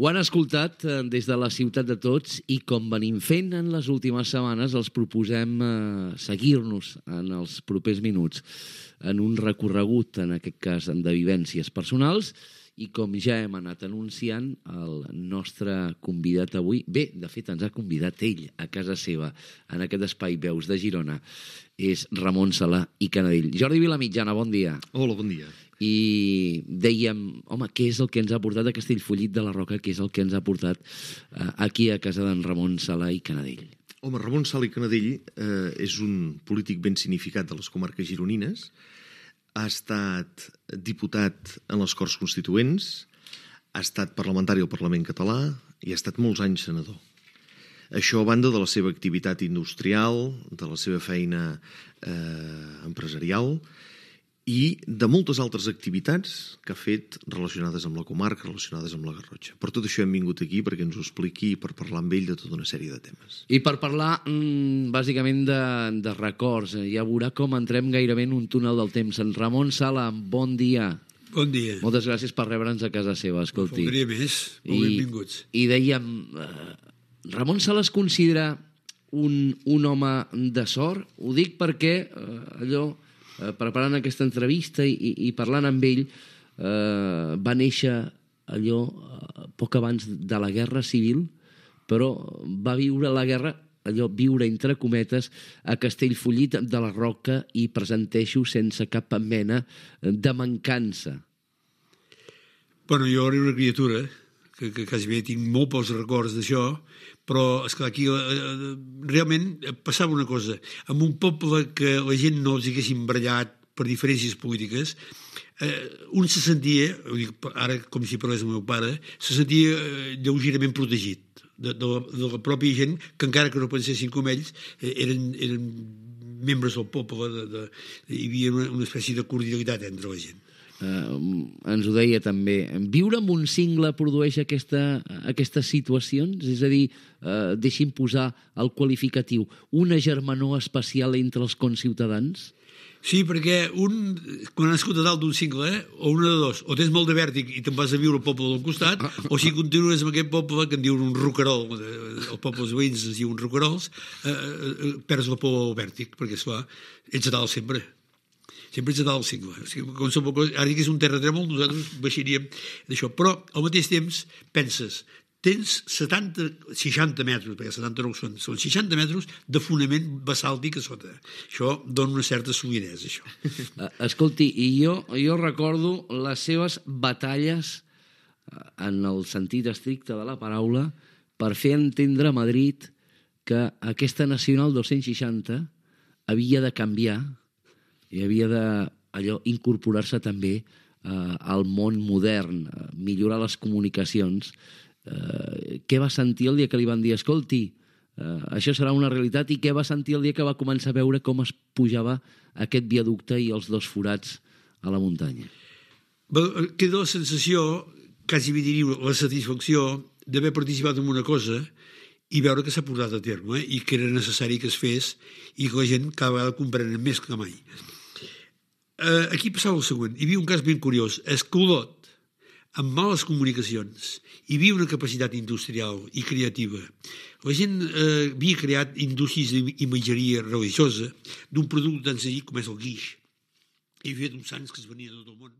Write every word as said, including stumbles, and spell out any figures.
Ho han escoltat eh, des de la ciutat de tots i com venim fent en les últimes setmanes els proposem eh, seguir-nos en els propers minuts en un recorregut, en aquest cas de vivències personals, i com ja hem anat anunciant, el nostre convidat avui, bé, de fet ens ha convidat ell a casa seva, en aquest espai Veus de Girona, és Ramon Salà i Canadell. Jordi Vilamitjana, bon dia. Hola, bon dia. I dèiem, home, què és el que ens ha portat a Castellfollit de la Roca, què és el que ens ha portat eh, aquí a casa d'en Ramon Salà i Canadell? Home, Ramon Salà i Canadell eh, és un polític ben significat de les comarques gironines, ha estat diputat en les Corts Constituents, ha estat parlamentari al Parlament català i ha estat molts anys senador. Això a banda de la seva activitat industrial, de la seva feina eh, empresarial i de moltes altres activitats que ha fet relacionades amb la comarca, relacionades amb la Garrotxa. Per tot això hem vingut aquí perquè ens ho expliqui i per parlar amb ell de tota una sèrie de temes. I per parlar, mmm, bàsicament, de, de records, ja veurà com entrem gairebé en un túnel del temps. En Ramon Salà, bon dia. Bon dia. Moltes gràcies per rebre'ns a casa seva, escolti. No faltaria més. Molt benvinguts. I dèiem, eh, Ramon Salà es considera un, un home de sort? Ho dic perquè eh, allò... preparant aquesta entrevista i, i, i parlant amb ell, eh, va néixer allò eh, poc abans de la Guerra Civil, però va viure la guerra, allò viure entre cometes, a Castellfollit de la Roca, i presenteixo sense cap mena de mancança. Bueno, jo era una criatura, que, que quasi bé tinc molt pocs records d'això, però, esclar, aquí eh, realment passava una cosa. En un poble que la gent no els haguessin barallat per diferències polítiques, eh, un se sentia, ho dic ara com si parlés el meu pare, se sentia eh, lleugerament protegit de, de, la, de la pròpia gent que, encara que no pensessin com ells, eh, eren, eren membres del poble, de, de, hi havia una, una espècie de cordialitat entre la gent. Uh, ens ho deia també, viure amb un cingle produeix aquesta, aquestes situacions? És a dir, uh, deixi'm posar el qualificatiu, una germanor especial entre els conciutadans? Sí, perquè un, quan has nascut a dalt d'un cingle, eh, o una de dos, o tens molt de vèrtic i te'n vas a viure al poble del costat, o si continues amb aquest poble que en diuen un roquerol, els pobles veïns es diuen roquerols, eh, eh, perds la por al vèrtic, perquè, esclar, ets a dalt sempre. Sempre ets a dalt del cingle. O sigui, com som, ara que és un terratrèmol, nosaltres baixaríem d'això. Però, al mateix temps, penses, tens setanta, seixanta metres, perquè setanta no són, són seixanta metres de fonament basàltic a sota. Això dona una certa solidesa, això. Escolti, i jo, jo recordo les seves batalles, en el sentit estricte de la paraula, per fer entendre a Madrid que aquesta Nacional dos-cents seixanta havia de canviar i havia de allò incorporar-se també eh, al món modern, eh, millorar les comunicacions. Eh, què va sentir el dia que li van dir, escolti, eh, això serà una realitat, i què va sentir el dia que va començar a veure com es pujava aquest viaducte i els dos forats a la muntanya? Queda la sensació, quasi diria la satisfacció, d'haver participat en una cosa i veure que s'ha portat a terme, eh? I que era necessari que es fes i que la gent cada vegada comprenen més que mai. Uh, aquí passava el següent. Hi havia un cas ben curiós. A Escolot, amb males comunicacions, hi havia una capacitat industrial i creativa. La gent uh, havia creat indústries d'imatgeria religiosa d'un producte tan senzill com és el guix. Hi havia uns sants que es venien de tot el món